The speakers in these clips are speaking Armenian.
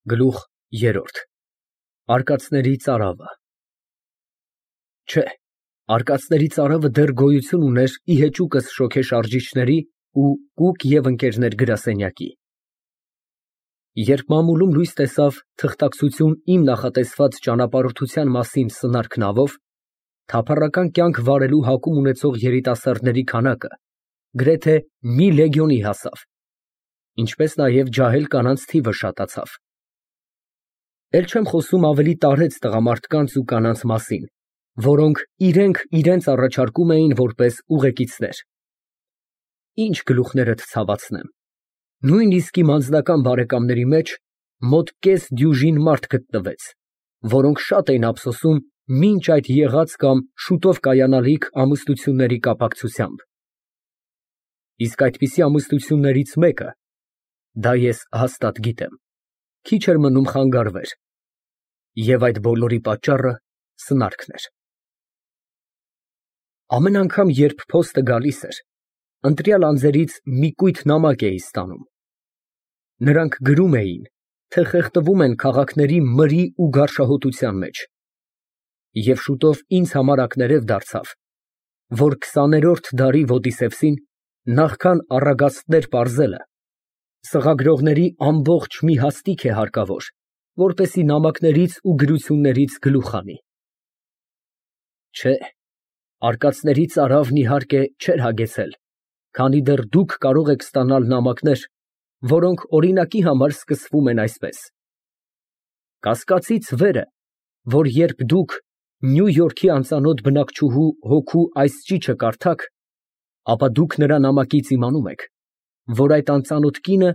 Գլուխ երրորդ Արկածների ծարավը Չէ, արկածների ծարավը դեռ գոյություն ուներ ի հեճուկս շոգեշարժիչների ու Կուկ և Ընկերներ գրասենյակի։ Երբ մամուլում լույս տեսավ թղթակցություն իմ նախատեսված ճանապարհորդության մասին սնարք նավով, թափառական կյանք վարելու հակում ունեցող երիտասարդների քանակը գրեթե մի լեգիոնի հասավ, ինչպես նաև ջահել կանանց թիվը շատացավ։ Էլ չեմ խոսում ավելի տարեց տղամարդկանց ու կանանց մասին, որոնք իրենք իրենց առաջարկում էին որպես ուղեկիցներ։ Ինչ գլուխներդ ցավացնեմ, նույնիսկ իմ անձնական բարեկամների մեջ մոտ կես դյուժին մարդ գտնվեց, որոնք շատ էին ափսոսում մինչ այդ եղած կամ շուտով կայանալիք ամուսնությունների կապակցությամբ։ Իսկ այդպիսի ամուսնություններից մեկը, դա ես հաստատ գիտեմ, քիչ էր մնում խանգարվեր, և այդ բոլորի պատճառը սնարկն էր։ Ամեն անգամ, երբ փոստը գալիս էր, ընտրյալ անձերից մի կույտ նամակ էի ստանում։ Նրանք գրում էին, թե խեղդվում են քաղաքների մրի ու գարշահոտության մեջ, և շուտով ինձ համար ակներև դարձավ, որ 20-րդ դարի Ոդիսևսին նախքան առագաստներ պարզելը, սղագրողների ամբողջ մի հաստիք է հարկավոր, որպեսզի նամակներից ու գրություններից գլուխ հանի։ Չէ, արկածների ծարավն իհարկե չէր հագեցել, քանի դեռ դուք կարող եք ստանալ նամակներ, որոնք օրինակի համար սկսվում են այսպես. Կասկածից վեր է, որ երբ դուք Նյու Յորքի անծանոթ բնակչուհու հոգու այս ճիչը կարդաք, ապա դուք նրա նամակից իմանում եք, որ այդ անծանոթ կինը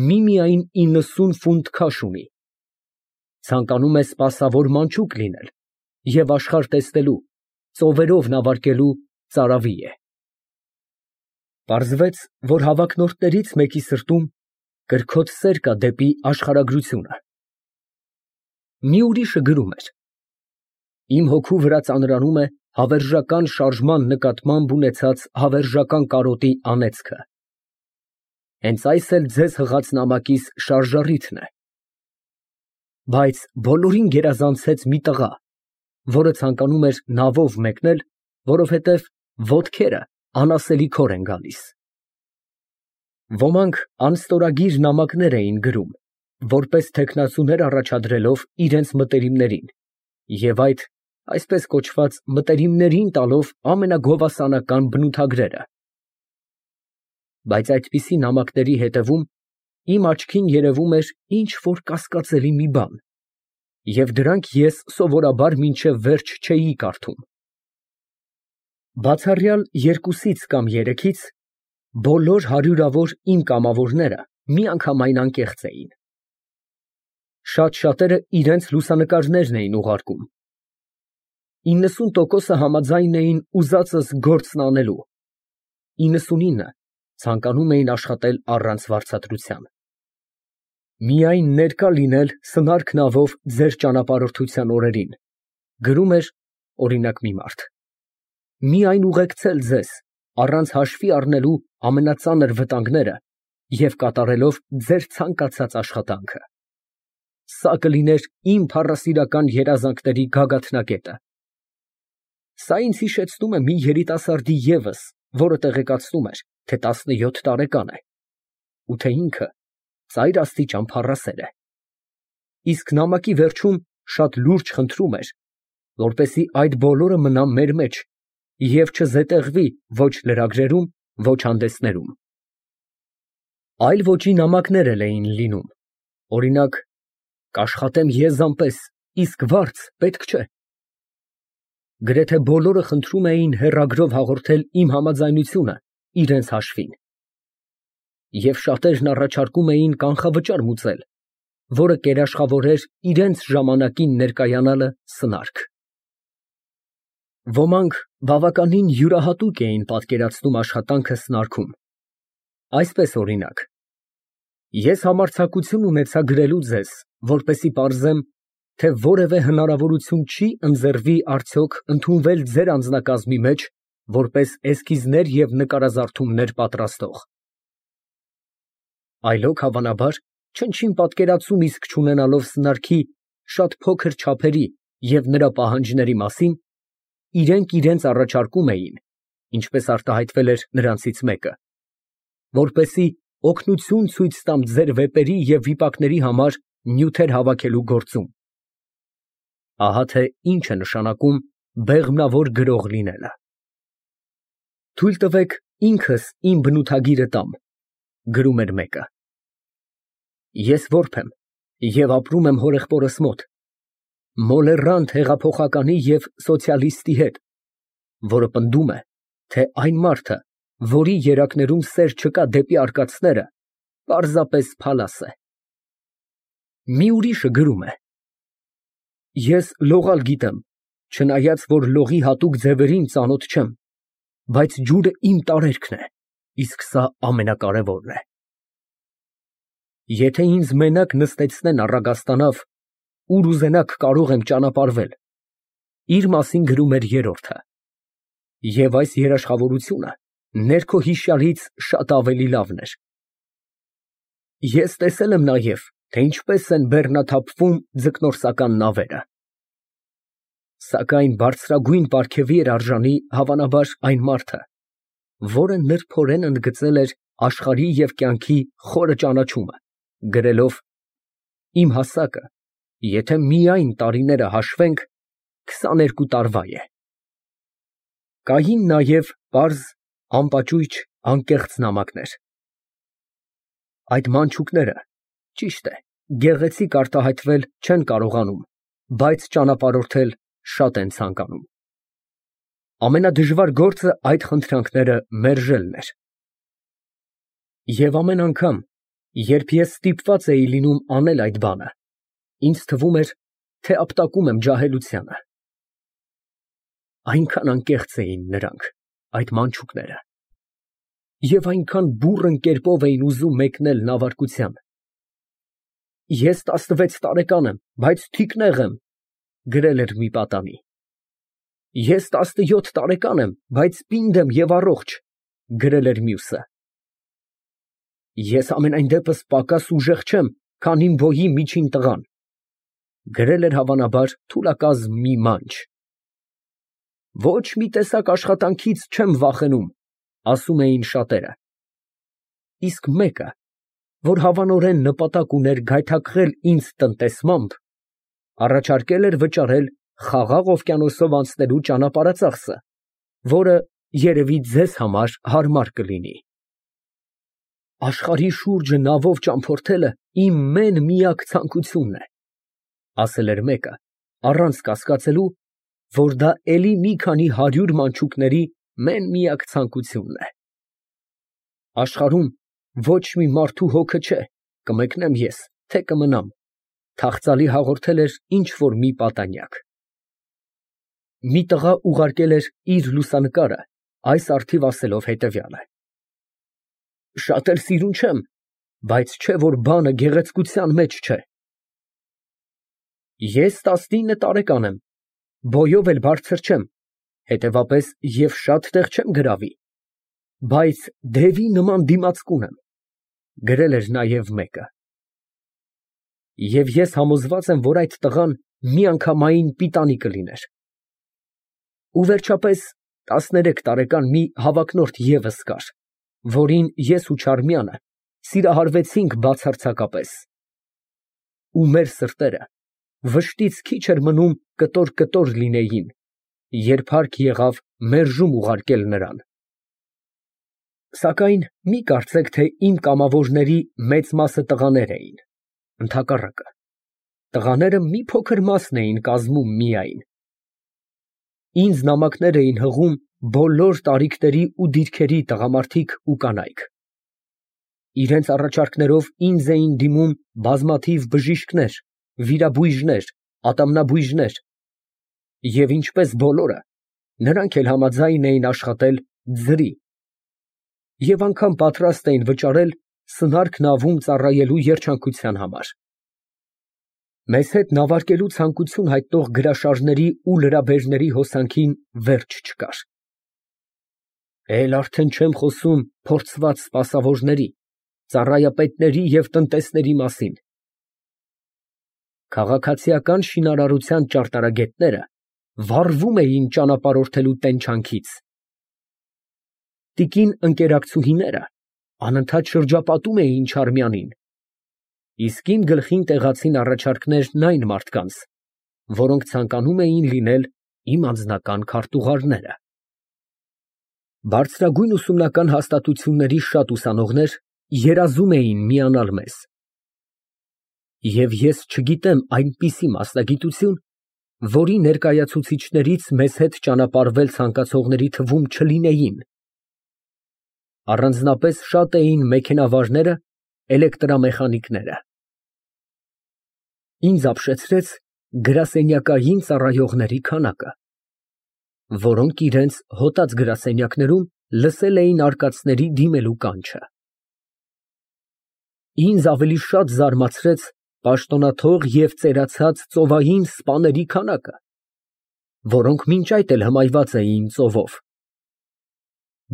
միմիայն 90 ֆունտ քաշ ունի, ցանկանում է սպասավոր մանչուկ լինել և աշխարհ տեսնելու, ծովերով նավարկելու ծարավի է։ Պարզվեց, որ հավակնորդներից մեկի սրտում կրքոտ սեր կա դեպի աշխարհագրությունը։ Մի ուրիշը գրում էր. Իմ հոգու վրա ծանրանում է հավերժական շարժման նկատմամբ ունեցած հավերժական կարոտի անեծքը։ Հենց այս էլ ձեզ հղած նամակիս շարժառիթն է։ Բայց բոլորին գերազանցեց մի տղա, որը ցանկանում էր նավով մեկնել, որովհետև ոտքերը անասելի քոր են գալիս։ Ոմանք անստորագիր նամակներ էին գրում, որպես թեկնածուներ առաջադրելով իրենց մտերիմներին և այդ, այսպես կոչված, մտերիմներին տալով ամենագովասանական բնութագրերը։ Բայց այդպիսի նամակների հետևում իմ աչքին երևում էր ինչ֊որ կասկածելի մի բան, և դրանք ես սովորաբար մինչև վերջ չէի կարդում։ Բացառյալ երկուսից կամ երեքից, բոլոր հարյուրավոր իմ կամավորները միանգամայն անկեղծ էին։ Շատ֊շատերը իրենց լուսանկարներն էին ուղարկում։ 90%-ը համաձայն էին ուզածս գործն անելու, 99-ը ցանկանում էին աշխատել առանց վարձատրության։ Միայն ներկա լինել սնարք նավով ձեր ճանապարհորդության օրերին, գրում էր, օրինակ, մի մարդ, միայն ուղեկցել ձեզ, առանց հաշվի առնելու ամենածանր վտանգները և կատարելով ձեր ցանկացած աշխատանքը։ Սա կլիներ իմ փառասիրական երազանքների գագաթնակետը։ Սա ինձ հիշեցնում է մի երիտասարդի ևս, որը տեղեկացնում էր, թե 17 տարեկան է, ու թե ինքը ծայր աստիճան փառասեր է։ Իսկ նամակի վերջում շատ լուրջ խնդրում էր, որպեսզի այդ բոլորը մնա մեր մեջ և չզետեղվի ոչ լրագրերում, ոչ հանդեսներում։ Այլ ոճի նամակներ էլ էին լինում, օրինակ, կաշխատեմ եզան պես, իսկ վարձ պետք չէ։ Գրեթե բոլորը խնդրում էին հեռագրով հաղորդել իմ համաձայնությունը իրենց հաշվին։ Եվ շատերն առաջարկում էին կանխավճար մուծել, որը կերաշխավորեր իրենց ժամանակին ներկայանալը սնարք։ Ոմանք բավականին յուրահատուկ էին պատկերացնում աշխատանքը սնարքում։ Այսպես, օրինակ, ես համարձակություն ունեցա գրելու ձեզ, որպեսզի պարզեմ, թե որևէ հնարավորություն չի ընձեռվի արդյոք ընդունվել ձեր անձնակազմի մեջ որպես էսքիզներ և նկարազարդումներ պատրաստող։ Այլոք, հավանաբար, չնչին պատկերացում իսկ չունենալով սնարքի շատ փոքր չափերի և նրա պահանջների մասին, իրենք իրենց առաջարկում էին, ինչպես արտահայտվել էր նրանցից մեկը, որպեսզի օգնություն ցույց տամ ձեր վեպերի և վիպակների համար նյութեր հավաքելու գործում։ Ահա թե ինչ է նշանակում բեղմնավոր գրող լինելը։ Թույլ տվեք ինքս իմ բնութագիրը տամ, գրում էր մեկը։ Ես որբ եմ և ապրում եմ հորեղբորս մոտ, մոլեռանդ հեղափոխականի և սոցիալիստի հետ, որը պնդում է, թե այն մարդը, որի երակներում սեր չկա դեպի արկածները, պարզապես փալաս է։ Մի ուրիշը գրում է. Ես լողալ գիտեմ, չնայած որ լողի հատուկ ձևերին ծանոթ չեմ, բայց ջուրը իմ տարերքն է, իսկ սա ամենակարևորն է։ Եթե ինձ մենակ նստեցնեն առագաստանավ, ուր ուզենաք կարող եմ ճանապարհվել, իր մասին գրում էր երրորդը։ Եվ այս երաշխավորությունը ներքո հիշյալից շատ ավելի լավն էր։ Ես տեսել եմ նաև, թե ինչպես են բեռնաթափվում ձկնորսական նավերը։ Սակայն բարձրագույն պարգևի էր արժանի, հավանաբար, այն մարդը, որը նրբորեն ընդգծել էր աշխարհի և կյանքի խորը ճանաչումը, գրելով. «Իմ հասակը, եթե միայն տարիները հաշվենք, 22 տարվա է»։ Կային նաև պարզ, անպաճույճ, անկեղծ նամակներ։ Այդ մանչուկները, ճիշտ է, գեղեցիկ արտահայտվել չեն կարողանում, բայց ճանապարհորդել շատ են ցանկանում։ Ամենադժվար գործը այդ խնդրանքները մերժելն էր։ Եվ ամեն անգամ, երբ ես ստիպված էի լինում անել այդ բանը, ինձ թվում էր, թե ապտակում եմ ջահելությանը։ Այնքան անկեղծ էին նրանք, այդ մանչուկները, և այնքան բուռն կերպով էին ուզում մեկնել նավարկության։ Ես 16 տարեկան եմ, բայց թիկնեղ եմ, գրել էր մի պատանի։ Ես 17 տարեկան եմ, բայց պինդ եմ և առողջ, գրել էր մյուսը։ Ես համենայն դեպս պակաս ուժեղ չեմ, քան իմ բոյի միջին տղան, գրել էր հավանաբար թուլակազմ մի մանչ։ Ոչ մի տեսակ աշխատանքից չեմ վախենում, ասում էին շատերը։ Իսկ մեկը, որ հավանորեն նպատակ ուներ գայթակղել ինձ տնտեսմամբ, առաջարկել էր վճարել Խաղաղ օվկիանոսով անցնելու ճանապարհածախսը, որը երևի ձեզ համար հարմար կլինի։ Աշխարհի շուրջը նավով ճամփորդելը իմ մեն֊միակ ցանկությունն է, ասել էր մեկը, առանց կասկածելու, որ դա էլի մի քանի 100 մանչուկների մեն֊միակ ցանկությունն է։ Աշխարհում ոչ մի մարդու հոգը չէ, կմեկնեմ ես, թե կմնամ, թախծալի հաղորդել էր ինչ֊որ մի պատանյակ։ Մի տղա ուղարկել էր իր լուսանկարը, այս առթիվ ասելով հետևյալը. Շատ էլ սիրուն չեմ, բայց չէ որ բանը գեղեցկության մեջ չէ։ Ես 19 տարեկան եմ, բոյով էլ բարձր չեմ, հետևապես և շատ տեղ չեմ գրավի, բայց դևի նման դիմացկուն եմ, գրել էր նաև մեկը։ Եվ ես համոզված եմ, որ այդ տղան միանգամայն պիտանի կլիներ։ Ու վերջապես 13 տարեկան մի հավակնորդ ևս կար, որին ես ու Չարմյանը սիրահարվեցինք բացարձակապես։ Ու մեր սրտերը վշտից քիչ էր մնում կտոր լինեին, երբ հարկ եղավ մերժում ուղարկել նրան։ Սակայն մի կարծեք, թե իմ կամավորների մեծ մասը տղաներ էին, ընդհակառակը, տղաները մի փոքր մասն էին կազմում միայն։ Ինձ նամակներ էին հղում բոլոր տարիքների ու դիրքերի տղամարդիկ ու կանայք։ Իրենց առաջարկներով ինձ էին դիմում բազմաթիվ բժիշկներ, վիրաբույժներ, ատամնաբույժներ, և ինչպես բոլորը, նրանք էլ համաձայն էին աշխատել ձրի և անգամ պատրաստ էին վճարել սնարք նավում ծառայելու երջանկության համար։ Մեզ հետ նավարկելու ցանկություն հայտնող գրաշարժների ու լրաբերների հոսանքին վերջ չկար։ Էլ արդեն չեմ խոսում փորձված սպասավորների, ծառայապետների և տնտեսների մասին։ Քաղաքացիական շինարարության ճարտարագետները վառվում էին ճանապարհորդելու տենչանքից։ Տիկին ընկերակցուհիները անընդհատ շրջապատում էին Չարմյանին, իսկ իմ գլխին տեղացին առաջարկներն այն մարդկանց, որոնք ցանկանում էին լինել իմ անձնական քարտուղարները։ Բարձրագույն ուսումնական հաստատությունների շատ ուսանողներ երազում էին միանալ մեզ։ Եվ ես չգիտեմ այնպիսի մասնագիտություն, որի ներկայացուցիչներից մեզ հետ ճանապարհվել ցանկացողների թվում չլինեին։ Առանձնապես շատ էին մեքենավարները, էլեկտրամեխանիկները։ Ինձ ապշեցրեց գրասենյակային ծառայողների քանակը, որոնք իրենց հոտած գրասենյակներում լսել էին արկածների դիմելու կանչը։ Ինձ ավելի շատ զարմացրեց պաշտոնաթող և ծերացած ծովային սպաների քանակը, որոնք մինչ այդ էլ հմայված էին ծովով։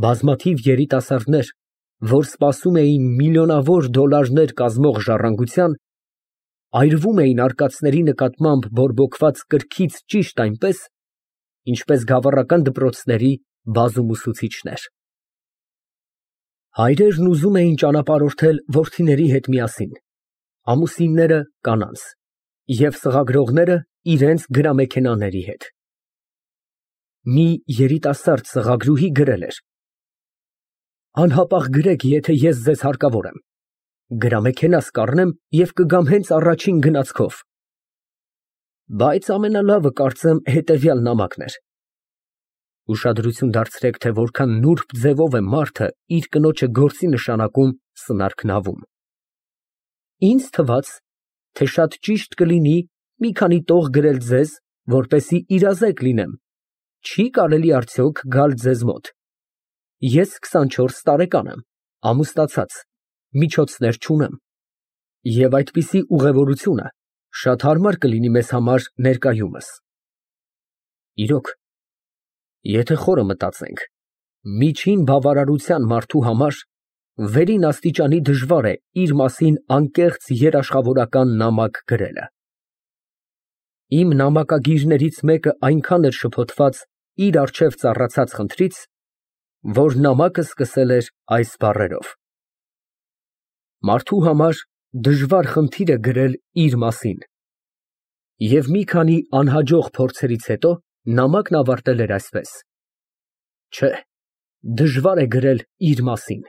Բազմաթիվ երիտասարդներ, որ սպասում էին միլիոնավոր դոլարներ կազմող ժառանգության, այրվում էին արկածների նկատմամբ բորբոքված կրքից ճիշտ այնպես, ինչպես գավառական դպրոցների բազում ուսուցիչներ։ Հայրերն ուզում էին ճանապարհորդել որդիների հետ միասին, ամուսինները կանանց և սղագրողները իրենց գրամեքենաների հետ։ Մի երիտասարդ սղագրուհի գրել էր. «Անհապաղ գրեք, եթե ես ձեզ հարկավոր եմ, գրամեքենաս կառնեմ և կգամ հենց առաջին գնացքով։ Բայց ամենալավը, կարծեմ, հետևյալ նամակն էր. ուշադրություն դարձրեք, թե որքան նուրբ ձևով է մարդը իր կնոջը գործի նշանակում սնարքնավում։ Ինձ թվաց, թե շատ ճիշտ կլինի մի քանի տող գրել ձեզ, որպեսզի իրազեկ լինեմ, չի կարելի արդյոք գալ ձեզ մոտ։ Ես 24 տարեկան եմ, ամուսնացած, միջոցներ չունեմ, և այդպիսի ուղևորությունը շատ հարմար կլինի մեզ համար ներկայումս։ Իրոք, եթե խորը մտածենք, միջին բավարարության մարդու համար վերին աստիճանի դժվար է իր մասին անկեղծ երաշխավորական նամակ գրելը։ Իմ նամակագիրներից մեկը այնքան էր շփոթված իր առջև ծառացած խնդրից, որ նամակը սկսել էր այս բառերով. «Մարդու համար դժվար խնդիր է գրել իր մասին»։ Եվ մի քանի անհաջող փորձերից հետո նամակն ավարտել էր այսպես. «Չէ, դժվար է գրել իր մասին»։